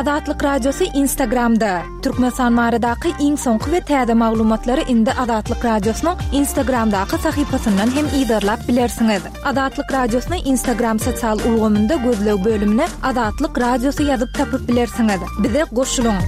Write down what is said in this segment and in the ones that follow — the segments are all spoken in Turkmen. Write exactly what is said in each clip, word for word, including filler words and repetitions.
Azatlyk Radiosy Instagramda. Türkmenistan baradaky iň soňky we täze maglumatlary indi Azatlyk Radiosynyň Instagramdaky sahypasyndan hem yzarlap bilersiňiz. Azatlyk Radiosyny Instagram sosial ulgamynda gözleg bölümine Azatlyk Radiosy ýazyp tapyp bilersiňiz. Bize goşulyň.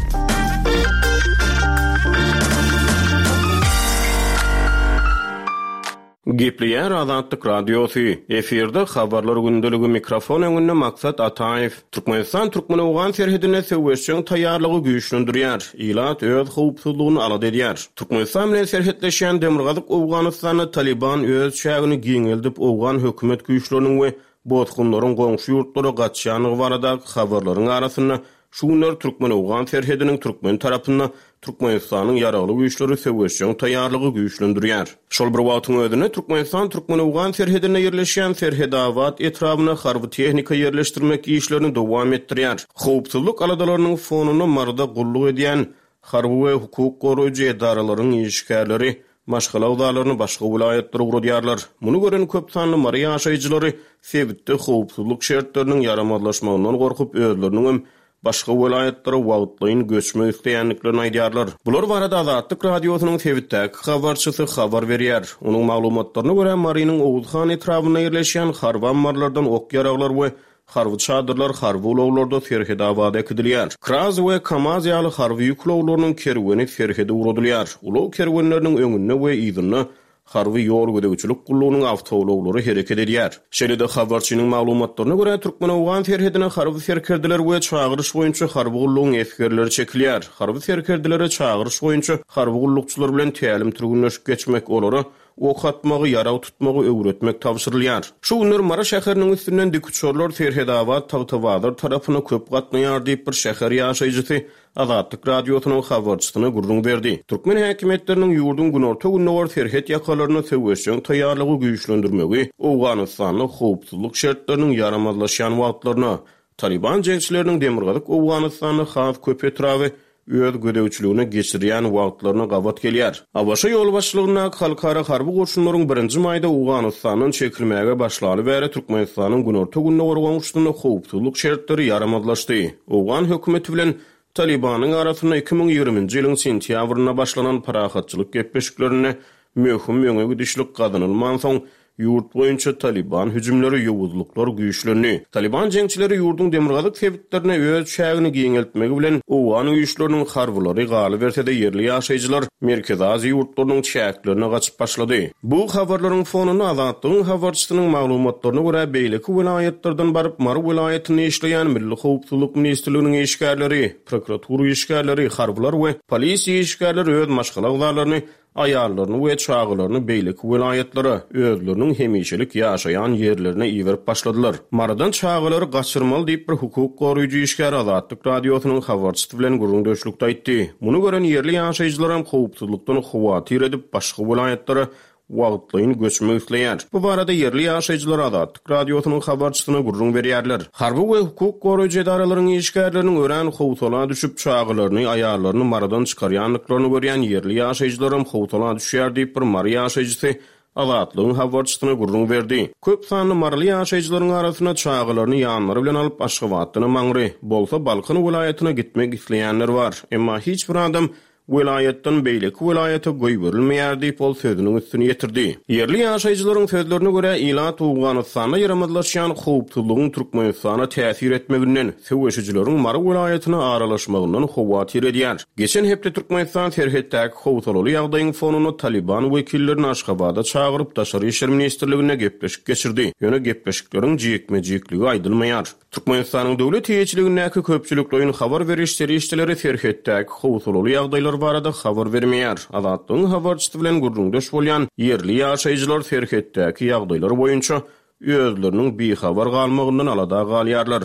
Gepleýär Azatlyk Radiosy. Efirde habarlar gündeligi mikrofon öňünde Maksat Ataýew. Türkmenistan türkmen-owgan serhedinde söweşjeň taýýarlygy güýçlendirýär. Ilat öz howpsuzlygyny alada edýär. Türkmenistan bilen serhetleşýän Demirgazyk Owganystanda Taliban öz çägini giňeldip owgan hökümet güýçleriniň we bosgunlaryň goňşy ýurtlara gaçýandygy baradaky habarlaryň arasynda şu günler türkmen-owgan serhediniň türkmen tarapynda Türkmenistanyň ýaragly güýçleri söweşjeň taýýarlygy güýçlendirýär. Şol bir wagtyň özünde Türkmenistan türkmen-owgan serhedinde ýerleşýän Serhedabat etrabyna harby tehnika ýerleşdirmek işlerini dowam etdirýär. Howpsuzlyk aladalarynyň fonunda Maryda gulluk edýän harby we hukuk goraýjy edaralaryň işgärleri maşgala agzalaryny başga welaýatlara ugradýarlar. Muny gören köp sanly Mary ýaşaýjylary sebitde howpsuzlyk şertleriniň ýaramazlaşmagyndan gorkup özleriniň başga welaýatlara wagtlaýyn göçmek isleýändiklerini aýdýarlar. Bular barada Azatlyk Radiosynyň sebitdäki habarçysy habar berýär. Onuň maglumatlaryna görä Marynyň Oguzhan etrabynda ýerleşýän harby ammarlardan ok ýaraglar we harby çadyrlar harby ulaglarda Serhedabada äkidilýär. Kraz we Kamaz ýaly harby ýük ulaglarynyň kerweni serhede ugradylýar. Ulag kerwenleriniň öňünde we yzynda harby ýol gözegçilik gullugynyň awtoulaglary hereket edýär. Şeýle-de habarçynyň maglumatlaryna görä Türkmen-Owgan serhedine harby serkerdeler we çagyryş boýunça harby gullugyň esgerleri çekilýär. Harby serkerdelere çagyryş boýunça harby gullukçylar bilen tälim türgünleşik geçmek olara ok atmagy, ýarag tutmagy öwretmek tabşyrylýar. Şu günler Mary şäheriniň üstünden dikuçarlar Serhedabat Tagtabazar tarapyna köp gatnaýar diýip bir şäher ýaşaýjysy Azatlyk Radiosynyň habarçysyna gürrüň berdi. Türkmen häkimiýetleriniň ýurduň günorta-gündogar serhet ýakalaryny söweşjeň taýýarlygy güýçlendirmegi Owganystanda howpsuzlyk şertleriniň ýaramazlaşýan wagtlaryna Taliban jeňçileriniň Demirgazyk Owganystanda has köp etraby öz gözegçiligine geçirýän wagtlaryna gabat gelýär. ABŞ ýolbaşçylygyndaky halkara harby goşunlaryň birinji maýda Owganystandan çekilmäge başlaly bäri Türkmenistanyň günorta-gündogar goňşusynda howpsuzlyk şertleri ýaramazlaşdy. Owgan hökümeti bilen Talibanyň arasynda iki müň ýigriminji ýylyň sentýabrynda başlanan parahatçylyk gepleşiklerinde möhüm öňe gidişlik gazanylmansoň ýurt boýunça Taliban hüjümleri ýowuzlyklar güýçlendi. Taliban jeňçileri ýurduň demirgazyk sebitlerine öz çägini giňeltmegi bilen Owgan güýçleriniň harbylary galyberse-de ýerli ýaşaýjylar Merkezi Aziýa ýurtlarynyň çäklerine gaçyp başlady. Bu habarlaryň fonunda Azatlygyň habarçysynyň maglumatlaryna görä beýleki welaýatlardan baryp Mary welaýatynda işleýän Milli Howpsuzlyk Ministrliginiň işgärleri, prokuratura işgärleri, harbylar we polisiýa işgärleri öz maşgala agzalaryny aýallaryny we çagalaryny beýleki welaýatlara özleriniň hemişelik ýaşaýan ýerlerine iberip başladylar. Marydan çagalary gaçyrmaly diýip bir hukuk goraýjy işgär Azatlyk Radiosynyň habarçysy bilen gürrüňdeşlikde aýtdy. Muny gören ýerli ýaşaýjylaram howpsuzlykdan howatyr edip başga welaýatlara wagtlaýyn göçmek isleýär. Bu barada ýerli ýaşaýjylar Azatlyk Radiosynyň habarçysyna gürrüň berýärler. Harby we hukuk goraýjy edaralaryň işgärleriniň örän howsala düşüp çagalaryny, aýallaryny Marydan çykarýandyklaryny görýän ýerli ýaşaýjylaram howsala düşýär diýip bir Mary ýaşaýjysy Azatlygyň habarçysyna gürrüň berdi. Köp sanly Maryly ýaşaýjylaryň arasynda çagalaryny ýanlary bilen alyp Aşgabatdan Maňry, bolsa Balkan welaýatyna gitmek isleýänler bar. Emma hiç bir adam welaýatdan beýleki welaýata goýberilmeýär diýip ol sözüniň üstüni ýetirdi. Ýerli ýaşaýjylaryň sözlerine görä ilat Owganystanda ýaramazlaşýan howpsuzlygyň Türkmenistana täsir etmeginden, söweşijileriň Mary welaýatyna aralaşmagyndan howatyr edýär. Geçen hepde Türkmenistan serhetdäki howsalaly ýagdaýyň fonunda Taliban wekillerini Aşgabada çagyryp Daşary işler ministrligine gepleşik geçirdi. Ýöne gepleşikleriň jikme-jikligi aýdylmaýar. Türkmenistanyň döwlet eýeçiligindäki köpçülikleýin habar beriş serişdeleri serhetdäki howsalaly ýagdaýlar barada habar bermeýär. Azatlygyň habarçysy bilen gürrüňdeş bolýan ýerli ýaşaýjylar serhetdäki ýagdaýlar boýunça özleriniň bihabar galmagyndan alada galýarlar.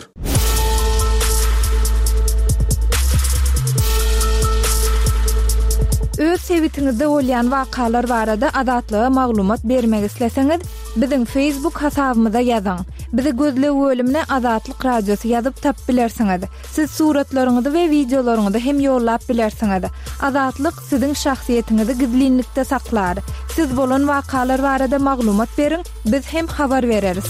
Öz sebitiňizde bolýan wakalar barada Azatlyga maglumat bermek isleseňiz, biziň Facebook hasabymyza ýazyň. Bizi gözleg bölümine Azatlyk Radiosy ýazyp tap bilersiňiz. Siz suratlaryňyzy we wideolaryňyzy hem ýollap bilersiňiz. Azatlyk siziň şahsyýetiňizi gizlinlikde saklar. Siz bolan wakalar barada maglumat beriň, biz hem habar bereris.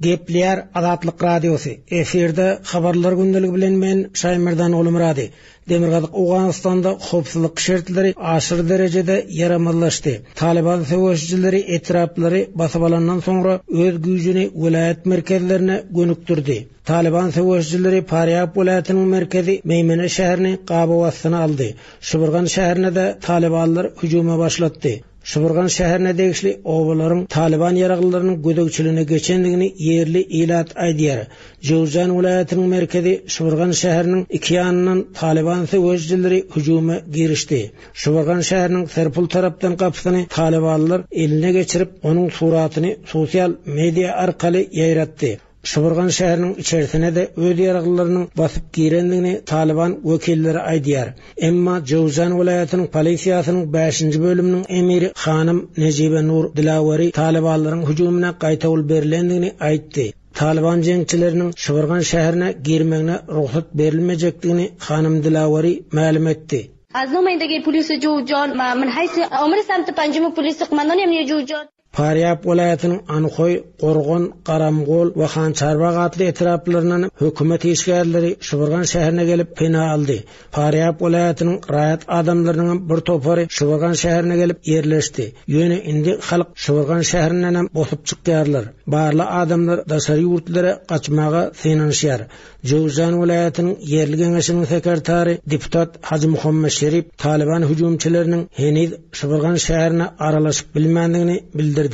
Gepleýär Azatlyk Radiosy. Efirde habarlar gündeligi bilen men Şaýmerdan Gulmyrady. Demirgazyk Owganystanda howpsuzlyk şertleri aşyr derejede ýaramazlaşdy. Taliban söweşijileri etraplary basyp alandan soňra öz güýjüni welaýat merkezlerine gönükdirdi. Taliban söweşijileri Parýab welaýatynyň merkezi Meýmene şäherini gabaw astyna aldy. Şybyrgan şäherine de Talibanlar hüjüme başlatdy. Şybyrgan şäherine degişli obalaryň Taliban ýaraglylarynyň gözegçiligine geçendigini ýerli ilat aýdýar. Jowzjan welaýatynyň merkezi Şybyrgan şäheriniň iki ýanyndan Taliban söweşijileri hüjüme girişdi. Şybyrgan şäheriniň Serpul tarapdan gapysyny Talibanlar eline geçirip, onuň suratyny sosial media arkaly ýaýratdy. Şybyrgan şäheriniň içerisine de öz ýaraglylarynyň basyp girendigini Taliban wekilleri aýdýar. Emma Jowzjan welaýatynyň polisiýasynyň bäşinji bölüminiň emiri Hanym Nejibe Nur Dilaweri Talibanlaryň hüjümine gaýtawul berilendigini aýtdy. Taliban jeňçileriniň Şybyrgan şäherine girmegine rugsat berilmejekdigini Hanym Dilaweri mälim etdi. از نمایندگی پلیس جوزجان من حیث آمر سمت پنجم پلیس قماندان امنیه جوزجان Parýab welaýatynyň Anhoý, Gorgon, Garamgol we Hançarbag atly etraplaryndan hökümet işgärleri Şybyrgan şäherine gelip pena aldy. Parýab welaýatynyň raýat adamlarynyň bir topary Şybyrgan şäherine gelip ýerleşdi. Ýöne indi halk Şybyrgan şäherinden hem bosup çykýarlar. Barly adamlar daşary ýurtlara gaçmaga synanyşýar. Jowzjan welaýatynyň ýerli geňeşiniň sekretary deputat Hajy Muhammed Şerif Taliban hüjümçileriniň heniz Şybyrgan şäherine aralaşyp bilmändigini bildirdi.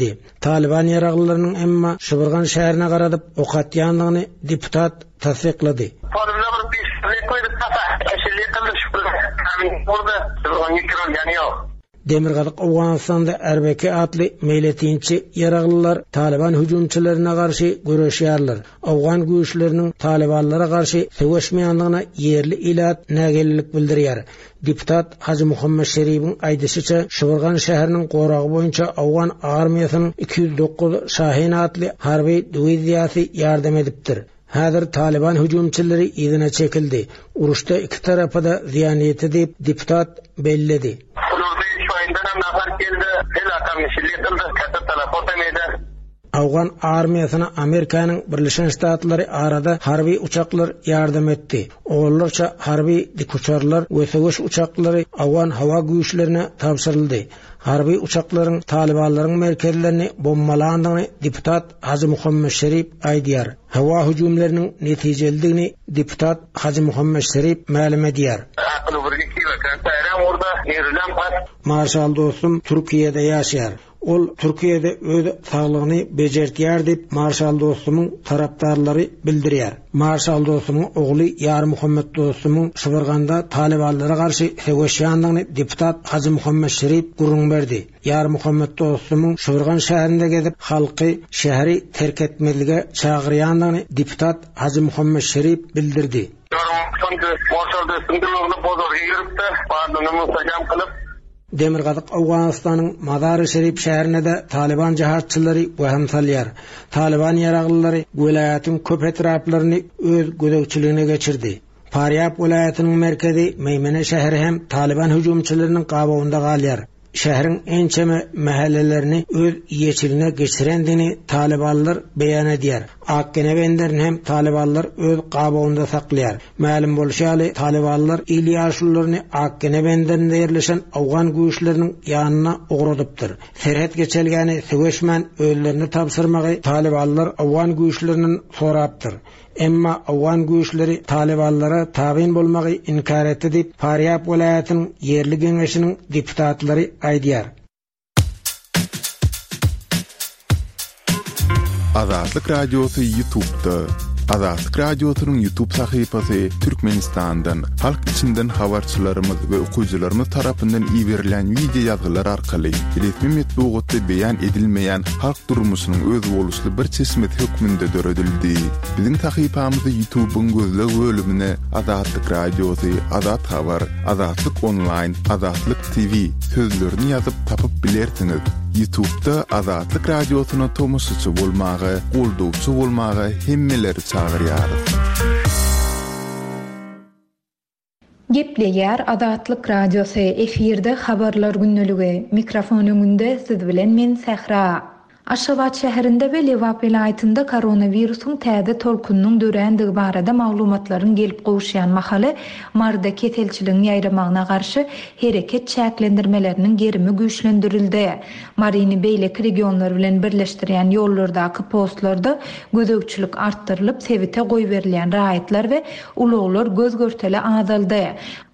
Taliban ýaraglylarynyň emma Şybyrgan şäherine garadyp ok atýandygyny deputat tassyklady. Demirgazyk Owganystanda Erbeki atly meýletinçi ýaraglylar Taliban hüjümçilerine garşy göreşýärler. Owgan güýçleriniň Talibanlara garşy söweşmeýändigine ýerli ilat nägillik bildirýär. Deputat Hajy Muhammed Şeribiň aýdyşyça Şybyrgan şäheriniň goragy boýunça Owgan armiýasynyň iki ýüz dokuz Şahin atly harby diwiziýasy ýardam edipdir. Häzir Taliban hüjümçileri yzyna çekildi. Uruşda iki tarapa da zyýan ýetdi diýip deputat belledi. Owgan armiýasyna Amerikanyň Birleşen Ştatlary arada harby uçaklar ýardam etdi. Oğullarça harby dikuçarlar we söweş uçaklary Owgan hawa güýçlerine tabşyryldy. Harby uçaklaryň Talibanlaryň merkezlerini bombalandygyny deputat Hajy Muhammed Şerif aýdýar. Hawa hüjümleriniň netijelidigini deputat Hajy Muhammed Şerif mälim edýär. Marşal dostum Türkiýede ýaşaýar. Ol Türkiýede öz saglygyny bejertýär diýip Marşal dostumyň tarapdarlary bildirýär. Marşal dostumyň ogly Ýar Muhammed dostumyň Şybyrganda Talibanlara garşy söweşýändigini deputat Hajy Muhammed Şerif gürrüň berdi. Ýar Muhammed dostumyň Şybyrgan şäherinde gezip halky şäheri terk etmezlige çagyrýandygyny deputat Hajy Muhammed Şerif bildirdi. Demirgazyk Owganystanyň Mazar-ı Şerif şäherine de Taliban jihatçylary wehem salýar. Taliban ýaraglylary welaýatyň köp etraplaryny öz gözegçiligine geçirdi. Parýab welaýatynyň merkezi Meýmene şäheri hem Taliban hüjümçileriniň gabawynda galýar. Şäheriň ençeme mahallelerini öz eýeçiligine geçirendigini Talibanlar beýan edýär. Akgene benderini hem Talibanlar öz gabawynda saklaýar. Mälim bolşy ýaly Talibanlar il ýaşlylaryny Akgene benderinde ýerleşen Owgan güýçleriniň ýanyna ugradypdyr. Serhet geçelgäni söweşmän özlerini tabşyrmagy Talibanlar Owgan güýçleriniň sorapdyr. Emma Owgan güýçleri Talibanlara tabyn bolmagy inkar etdi diýip Parýab welaýatynyň ýerli geňeşiniň deputatlary aýdýar. Azatlyk Radiosy YouTube'da. Azatlyk Radiosynyň YouTube sahypasy Türkmenistandan, halk içinden habarçylarymyz we okyjylarymyz tarapyndan iberilen video ýazgylar arkaly resmi metbugatda beýan edilmeýän halk durmuşynyň özboluşly bir çeşmesi hökmünde döredildi. Biziň sahypamyzy YouTube'yň gözleg bölümine Azatlyk Radiosy, Azat Habar, Azatlyk Online, Azatlyk T V sözlerini ýazyp tapyp bilersiňiz. YouTube'da Azatlyk Radiosyna tomaşaçy bolmagy, goldawçy bolmagy hemmeleri çagyrýarys. Gepleýär Azatlyk Radiosy, efirde habarlar gündeligi. Mikrofon öňünde siz bilen men Sähra. Aşgabat şäherinde we Lebap welaýatynda koronawirusyň täze tolkunynyň dörändigi barada maglumatlaryň gelip gowuşýan mahaly, Maryda keselçiligiň ýaýramagyna garşy hereket çäklendirmeleriniň gerimi güýçlendirildi. Maryny beýleki regionlar bilen birleşdirýän ýollardaky postlarda gözegçilik artdyrylyp, sebite goýberilýän raýatlar we ulaglar göz-görtele azaldy.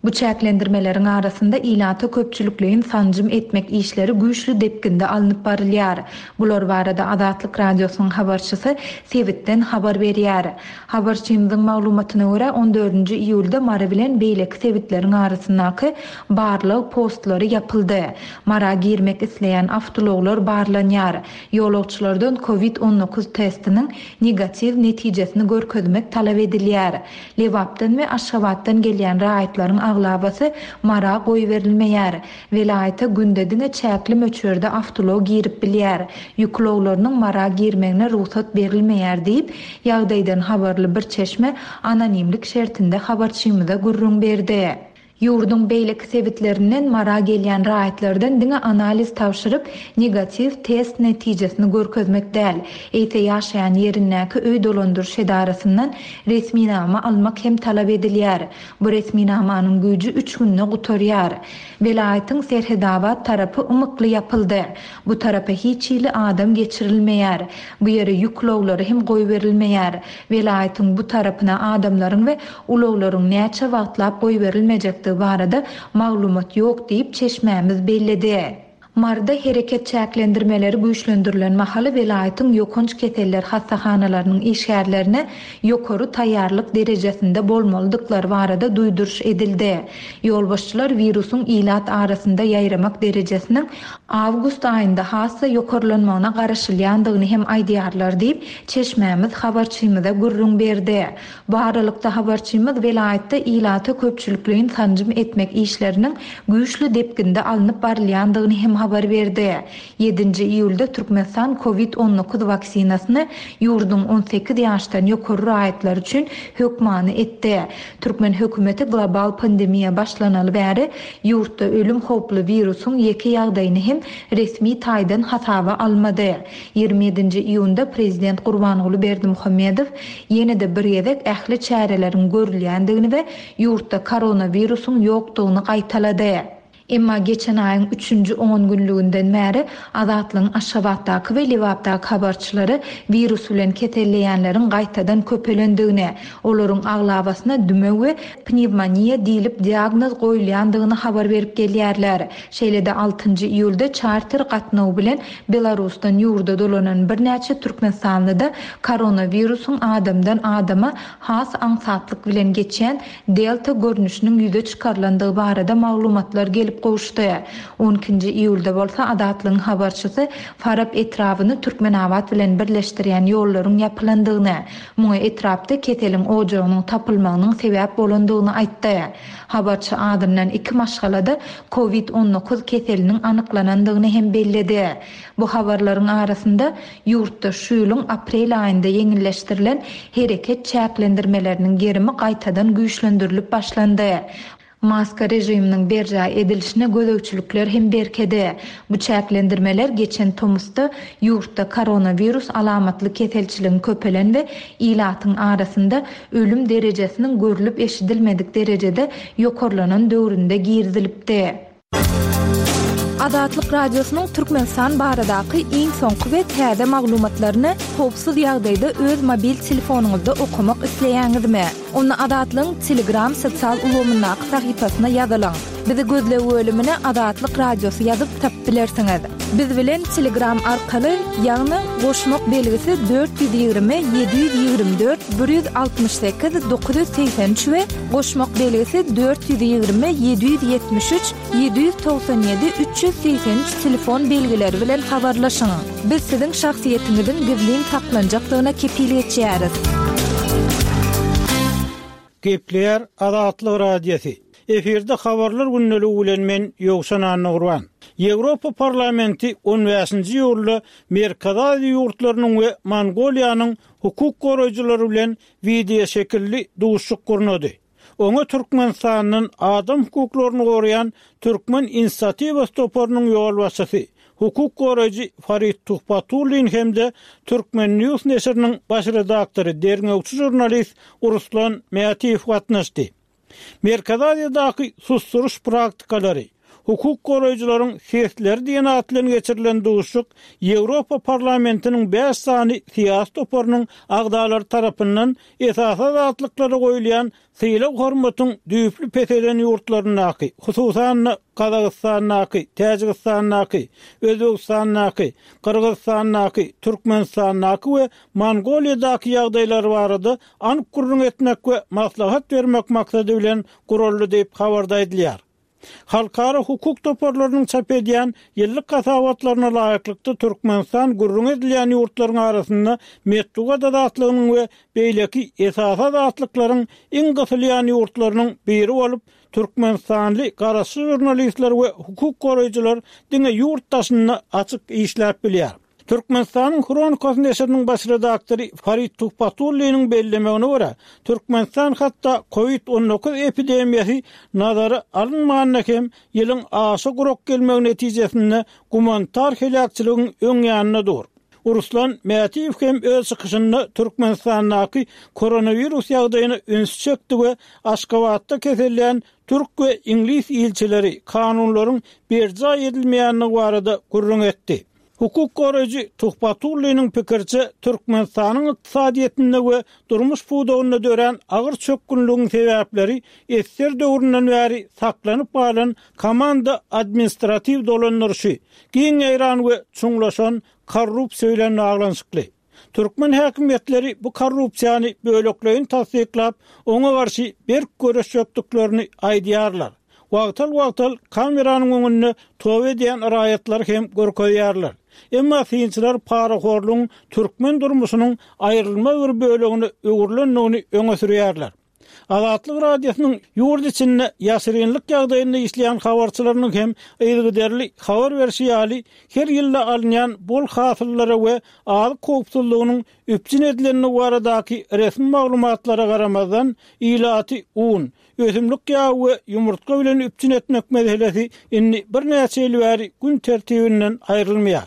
Bu çäklendirmeleriň arasynda ilata köpçülikleýin sanjym etmek işleri güýçli depginde alnyp barylýar. Bular barada Azatlyk Radiosynyň habarçysy sebitden habar berýär. Habarçymyzyň maglumatyna görä, on dördünji iýulda Mary bilen beýleki sebitleriň arasyndaky barlag postlary ýapyldy. Mara girmek isleýän awtoulaglar barlanýar. Ýolagçylardan covid on dokuz testiniň negatiw netijesini görkezmek talap edilýär. Lebapdan we Aşgabatdan gelýän raýatlaryň aglabasy Mara goýberilmeýär. Welaýata günde diňe çäkli möçberde awtoulag girip bilýär. Ýük ulaglarynyň Mara girmegine rugsat berilmeýär diýip, ýagdaýdan habarly bir çeşme anonimlik şertinde habarçymyza gürrüň berdi. Ýurduň beýleki sebitlerinden Mara gelýän raýatlardan diňe analiz tabşyryp, negatiw test netijesini görkezmek däl, eýse ýaşaýan ýerindäki öý dolandyryş edarasyndan resminama almak hem talap edilýär. Bu resminamanyň güýji üç günde gutarýar. Welaýatyň Serhedabat tarapy ymykly ýapyldy. Bu tarapa hiç hili adam geçirilmeýär. Bu ýere ýük ulaglary hem goýberilmeýär. Welaýatyň bu tarapyna adamlaryň we ulaglaryň näçe wagtlap goýberilmejekdigi barada maglumat ýok diýip çeşmämiz belledi. Maryda hereket çäklendirmeleri güýçlendirilen mahaly welaýatyň ýokanç keseller hassahanalarynyň işgärlerine ýokary taýýarlyk derejesinde bolmalydyklary barada duýduryş edildi. Ýolbaşçylar wirusyň ilat arasynda ýaýramak derejesiniň awgust aýynda hassa ýokarlanmagyna garaşylýandygyny hem aýdýarlar diýip, çeşmämiz habarçymyza gürrüň berdi. Bu aralykda habarçymyz welaýatda ilata köpçülikleýin sanjym etmek işleriniň güýçli depginde alnyp barylýandygyny hem habar berdi. Ýedinji iýulda Türkmenistan covid on dokuz waksinasyny ýurduň on sekiz ýaşdan ýokary raýatlar üçin hökmany etdi. Türkmen hökümeti global pandemiýa başlanaly bäri ýurtda ölüm howply wirusyň ýeke ýagdaýyny hem resmi taýdan hasaba almady. Ýigrimi ýedinji iýunda prezident Gurbanguly Berdimuhamedow ýene-de bir gezek ähli çäreleriň görülýändigini we ýurtda koronawirusyň ýokdugyny gaýtalady. Emma geçen aýyň üçünji on günlüginden bäri Azatlygyň Aşgabatdaky we Lebapdaky habarçylary wirus bilen keselleýänleriň gaýtadan köpelendigini, olaryň aglabasyna dümew we pnevmoniýa diýlip diagnoz goýulýandygyny habar berip gelýärler. Şeýle-de altynjy iýulda çarter gatnawy bilen Belarusdan ýurda dolanan birnäçe Türkmenistanlyda koronawirusyň adamdan adama has aňsatlyk bilen geçýän delta görnüşiniň ýüze çykarylandygy barada maglumatlar gelip gowuşdy. On ikinji iýulda bolsa Azatlygyň habarçysy Farap etrabyny Türkmenabat bilen birleşdirýän ýollaryň ýapylandygyny, muňa etrapda keseliň ojagynyň tapylmagynyň sebäp bolandygyny aýtdy. Habarçy adyndan iki maşgalada covid on dokuz keseliniň anyklanandygyny hem belledi. Bu habarlaryň arasynda ýurtda şu ýylyň aprel aýynda ýeňilleşdirilen hereket çäklendirmeleriniň gerimi gaýtadan güýçlendirilip başlandy. Maska rejiminiň berjaý edilişine gözegçilikler hem berkedi. Bu çäklendirmeler geçen tomusda ýurtda koronavirus alamatly keselçiligiň köpelen we ilatyň arasynda ölüm derejesiniň görülip eşidilmedik derejede ýokarlanan döwründe girizilipdi. Azatlyk Radiosynyň Türkmenistan baradaky iň soňky we täze maglumatlaryny howpsuz ýagdaýda öz mobil telefonyňyzda okamak isleýäňizmi? Onda Azatlygyň Telegram sosial ulgamyndaky sahypasyna ýazylyň. Bizi gözleg bölümine Azatlyk Radiosy ýazyp tapyp bilersiňiz. Biz bilen Telegram arkaly, ýagny goşmak belgisi dört ýüz ýigrimi, ýedi ýüz ýigrimi dört, bir ýüz altmyş sekiz, dokuz ýüz segsen üç we goşmak belgisi dört ýüz ýigrimi, ýedi ýüz ýetmiş üç, ýedi ýüz togsan ýedi, üç ýüz segsen üç telefon belgileri bilen habarlaşyň. Biz siziň şahsyýetiňiziň gizlin saklanjakdygyna kepil geçýäris. Gepleýär Azatlyk Radiosy. Efirde habarlar gündeligi bilen men Ýowşan Annagurban. Ýewropa Parlamenti on bäşinji iýulda Merkezi Aziýa ýurtlarynyň we Mongoliýanyň hukuk goraýjylary bilen wideo şekilli duşuşyk gurnady. Oňa Türkmenistandan adam hukuklaryny goraýan Türkmen inisiatiwasy toparynyň ýolbaşçysy, hukuk goraýjy Farid Tuhbatullin hem-de Türkmen News neşiriniň baş redaktory, derňewçi žurnalist Ruslan Mätiýew gatnaşdy. Merkezi Aziýadaky susduryş praktikalary, hukuk goraýjylaryň sesleri diýen at bilen geçirilen duşuşyk Ýewropa Parlamentiniň bäş sany syýasy toparynyň agzalary tarapyndan esasy azatlyklara goýulýan sylag hormatyň düýpli peselen ýurtlaryndaky, hususan-da Gazagystandaky, Täjigistandaky, Özbegistandaky, Gyrgyzystandaky, Türkmenistandaky we Mongoliýadaky ýagdaýlar barada anyk gürrüň etmek we maslahat bermek maksady bilen guraldy diýip habarda aýdylýar. Halkara hukuk toparlarynyň çap edýän ýyllyk hasabatlaryna laýyklykda Türkmenistan gürrüň edilýän ýurtlaryň arasynda metbugat azatlygynyň we beýleki esasy azatlyklaryň iň gysylýan ýurtlarynyň biri bolup, Türkmenistanly garaşsyz žurnalistler we hukuk goraýjylar diňe ýurt daşynda açyk işläp bilýär. Türkmenistanyň Hronikasy neşiriniň baş redaktory Farid Tuhbatulliniň bellemegine görä, Türkmenistan hatda COVID on dokuz epidemiýasy nazara alynmanda hem ýylyň aşa gurak gelmegi netijesinde gumanitar heläkçiligiň öň ýanynda dur. Ruslan Mätiýew hem öz çykyşynda Türkmenistandaky koronawirus ýagdaýyna üns çekdi we Aşgabatda keselleýän türk we iňlis ilçileri kanunlaryň berjaý edilmeýändigi barada gürrüň etdi. Hukuk goraýjy Tuhbatulliniň pikiriçe Türkmenistanyň ykdysadyýetinde we durmuş pudagynda dörän agyr çökgünligiň sebäpleri esser döwründen bäri saklanyp galan komanda administratiw dolandyryşy, giň ýaýran we çuňlaşan korrupsiýa bilen baglanyşykly. Türkmen häkimiýetleri bu korrupsiýany bölekleýin tassyklap, oňa garşy berk göreşjekdiklerini aýdýarlar. Wagtal-wagtal kameranyň öňünde toba edýän raýatlar hem görkezýärler. Emma synçylar parahorlugyň türkmen durmuşynyň aýrylmaz bir bölegine öwrülendigini öňe sürýärler. Azatlyk Radiosynyň ýurt içinde ýaşyrynlyk ýagdaýynda işleýän habarçylarynyň hem yzygiderli habar berşi ýaly her ýylda alynýan bol hasyllara we azyk howpsuzlygynyň üpjün edilendigi baradaky resmi maglumatlara garamazdan ilaty un, ösümlik ýagy we ýumurtga bilen üpjün etmek meselesi indi birnäçe ýyl bäri gün tertibinden aýrylmaýar.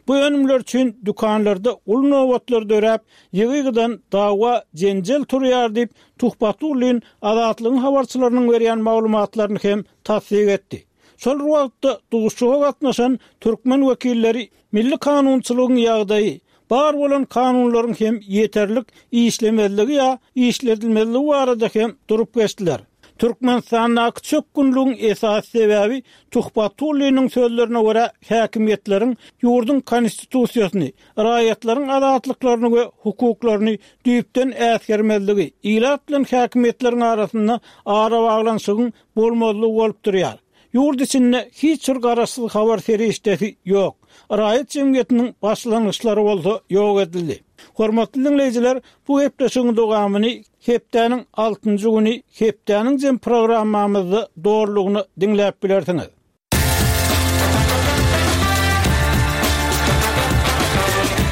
Bu önümler üçin dükanlarda uly nobatlar döräp, ýygy-ýygydan dawa jenjel turýar diýip Tuhbatullin Azatlygyň habarçylarynyň berýän maglumatlaryny hem tassyk etdi. Şol wagtda duşuşyga gatnaşan türkmen wekilleri milli kanunçylygyň ýagdaýy, bar bolan kanunlaryň hem ýeterlik işlemezligi ýa işledilmezligi barada hem durup geçdiler. Türkmenistandaky çökgünligiň esasy sebäbi Tuhbatulliniň sözlerine görä häkimiýetleriň ýurduň konstitusiýasyny, raýatlaryň azatlyklaryny we hukuklaryny düýpden äsgermezligi, ilat bilen häkimiýetleriň arasynda arabaglanyşygyň bolmazlygy bolup durýar. Ýurt içinde hiç bir garaşsyz habar serişdesi ýok. Raýat jemgyýetiniň başlangyçlary bolsa ýok edildi. Hormatly dinleýjiler, bu hepdeşigiň dowamyny hepdäniň altynjy güni hepdäniň jem programmamyzda dogrulygyny diňläp bilersiňiz.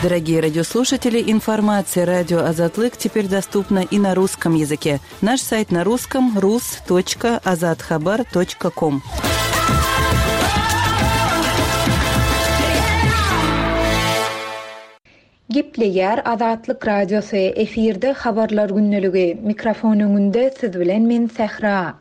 Дорогие радиослушатели, информация радио Азатлык теперь доступна и на русском языке. Наш сайт на русском rus точка azathabar точка ком. Gepleýär Azatlyk Radiosy efirde habarlar günlügi. Mikrofon öňünde siz bilen men Sähra.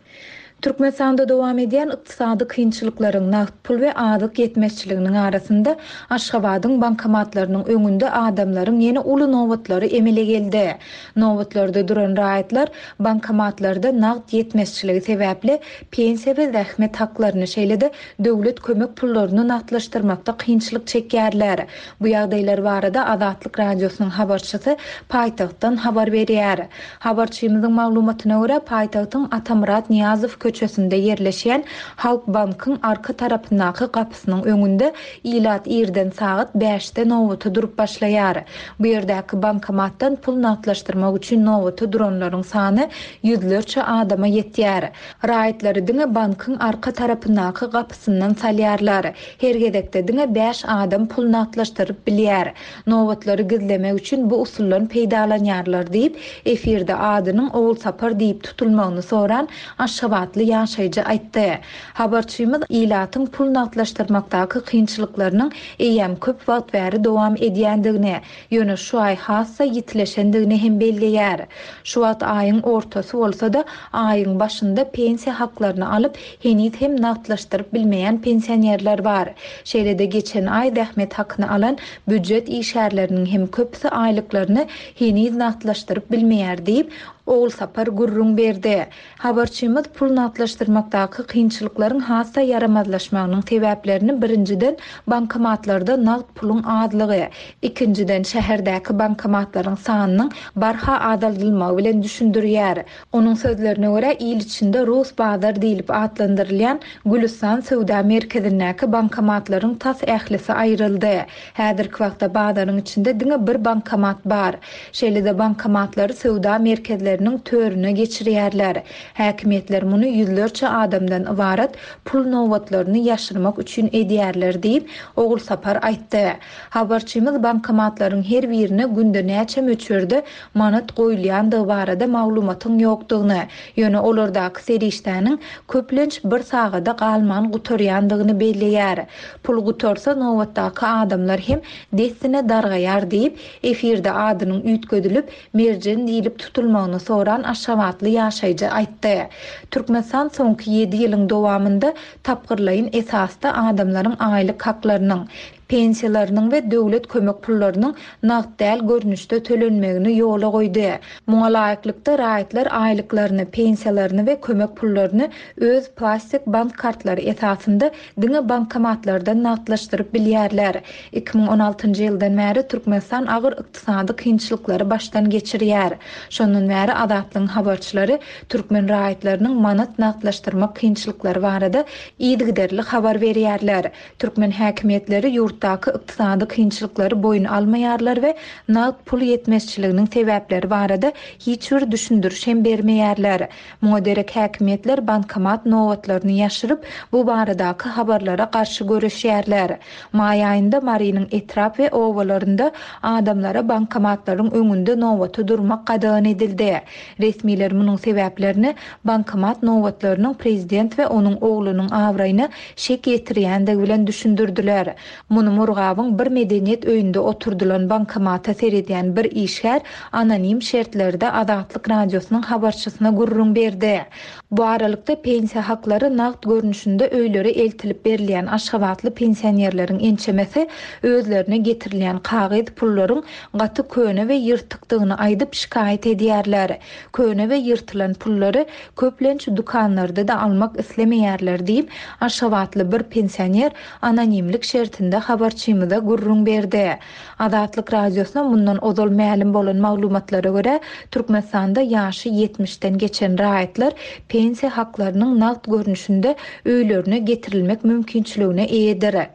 Türkmenistanda dowam edýän ykdysady kynçylyklaryň nagt pul we azyk ýetmezçiliginiň arasynda Aşgabadyň bankomatlarynyň öňünde adamlaryň ýene uly nobatlary emele geldi. Nobatlarda duran raýatlar bankomatlarda nagt ýetmezçiligi sebäpli pensiýa we zähmet haklaryny şeýle-de döwlet kömek pullaryny nagtlaşdyrmakda kynçylyk çekýärler. Bu ýagdaýlar barada Azatlyk Radiosynyň habarçysy paýtagtdan habar berýär. Habarçymyzyň maglumatyna görä paýtagtyň Atamyrat Nyýazow köçesinde ýerleşýän Halk Bankyň arka tarapyndaky gapysynyň öňünde ilat irden sagat bäşde nobata durup başlaýar. Bu ýerdäki bankomatdan pul nagtlaşdyrmak üçin nobata duranlaryň sany ýüzlerçe adama ýetýär. Raýatlary diňe bankyň arka tarapyndaky gapysyndan salýarlar. Her gezekde diňe bäş adam pul nagtlaşdyryp bilýär. Nobatlary gizlemek üçin bu usuldan peýdalanýarlar diýip, efirde adynyň Ogulsapar diýip tutulmagyny soran Aşgabatly aşgabatly ýaşaýjy aýtdy. Habarçymyz ilatyň pul nagtlaşdyrmakdaky kynçylyklarynyň eýýäm köp wagt bäri dowam edýändigini, ýöne şu aý has-da ýitileşendigini hem belleýär. Şu wagt aýyň ortasy bolsa-da, aýyň başynda pensiýa haklaryny alyp, heniz hem nagtlaşdyryp bilmeýän pensionerler bar. Şeýle-de geçen aý zähmet hakyny alan býujet işgärleriniň hem köpüsi aýlyklaryny heniz nagtlaşdyryp bilmeýär diýip, Ogulsapar gürrüň berdi. Habarçymyz pul nagtlaşdyrmakdaky kynçylyklaryň has-da ýaramazlaşmagynyň sebäplerini birinjiden bankomatlarda nagt puluň azlygy, ikinjiden şäherdäki bankomatlaryň sanynyň barha azaldylmagy bilen düşündirýär. Onuň sözlerine görä, il içinde Rus bazar diýlip atlandyrylýan Gülüstan söwda merkezindäki bankomatlaryň tas ählisi aýryldy. Häzirki wagtda bazaryň içinde diňe bir bankomat bar. Şeýle-de bankomatlary söwda merkezleriniň törüne geçirýärler. Häkimiýetler muny ýüzlerçe adamdan ybarat pul nobatlaryny ýaşyrmak üçin edýärler diýip, Ogulsapar aýtdy. Habarçymyz bankomatlaryň her birine günde näçe möçberde manat goýulýandygy barada maglumatyň ýokdugyny, ýöne olardaky serişdäniň köplenç bir sagada galman gutarýandygyny belleýär. Pul gutarsa nobatdaky adamlar hem dessine dargaýar diýip, efirde adynyň üýtgedilip, Merjen diýlip tutulmagyny soran aşgabatly ýaşaýjy aýtdy. Türkmenistan soňky ýedi ýylyň dowamynda tapgyrlaýyn esasda adamlaryň aýlyk haklarynyň, pensiýalarynyň we döwlet kömek pullarynyň nagt däl görnüşde tölenmegini ýola goýdy. Muňa laýyklykda raýatlar aýlyklaryny, pensiýalaryny we kömek pullaryny öz plastik bank kartlary esasynda diňe bankomatlardan nagtlaşdyryp bilýärler. Iki müň on altynjy ýyldan bäri Türkmenistan agyr ykdysady kynçylyklary başdan geçirýär. Şondan bäri Azatlygyň habarçylary türkmen raýatlarynyň manat nagtlaşdyrmak kynçylyklary barada yzygiderli habar berýärler. Türkmen häkimiýetleri ýurtdaky ykdysady kynçylyklary boýun almaýarlar we nagt pul ýetmezçiliginiň sebäpleri barada hiç bir düşündiriş hem bermeýärler. Muňa derek häkimiýetler bankomat nobatlaryny ýaşyryp, bu baradaky habarlara garşy göreşýärler. Maý aýynda Marynyň etrap we obalarynda adamlara bankomatlaryň öňünde nobata durmak gadagan edildi. Resmiler munuň sebäplerini bankomat nobatlarynyň prezident we onuň oglunyň abraýyna şek ýetirýändigi bilen düşündirdiler. Muny Murgabyň bir medeniýet öýünde oturdylan bankomata seredýän bir işgär anonim şertlerde Azatlyk radiosynyň habarçysyna gürrüň berdi. Bu aralykda pensiýa haklary nagt görnüşinde öýlere eltilip berilýän aşgabatly pensionerleriň ençemesi özlerine getirilýän kagyz pullaryň gaty köne we ýyrtykdygyny aýdyp şikaýat edýärler. Köne we ýyrtylan pullary köplenç dükanlarda da almak islemeýärler diýip, aşgabatly bir pensioner anonimlik şertinde habarçymyza gürrüň berdi. Azatlyk radiosyna mundan ozal mälim bolan maglumatlara görä, Türkmenistanda ýaşy ýetmişden geçen raýatlar pensiýa haklarynyň nagt görnüşinde öýlerine getirilmek mümkinçiligine eýedir.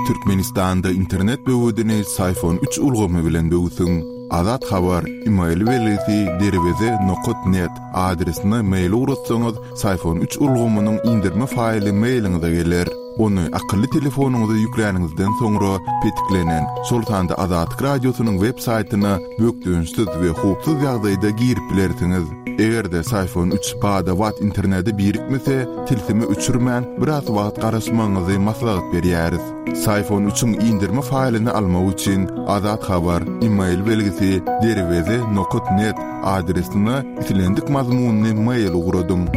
Türkmenistanda internet böwedini Syfon üç ulgamy bilen böwsüň. Azat Habar, e-mail belgisi derweze nokat net adresine mail ugratsaňyz, Syfon üç ulgamynyň indirme faýly mailiňize geler. Ony akylly telefonyňyza ýükläniňizden soňra petiklenen, şol sanda Azatlyk radiosynyň web saýtyna bökdençsiz we howpsuz ýagdaýda girip bilersiňiz. Eger-de Syfon üç bada-bat internete birikmese, tilsimi öçürmän biraz wagt garaşmagyňyzy maslahat berýäris. Syfon üçiň indirme faýlyny almak üçin Azat Habar, e-mail belgisi derweze nokat net adresine islendik mazmunyny mail ugradyň.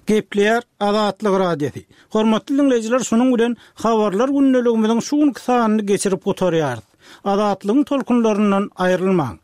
Gepleýär Azatlyk Radiosy. Hormatly dinleýjiler, şunuň bilen habarlar gündeligimiziň şu günki sanyny geçirip gutarýarys. Azatlygyň tolkunlaryndan aýrylmaň.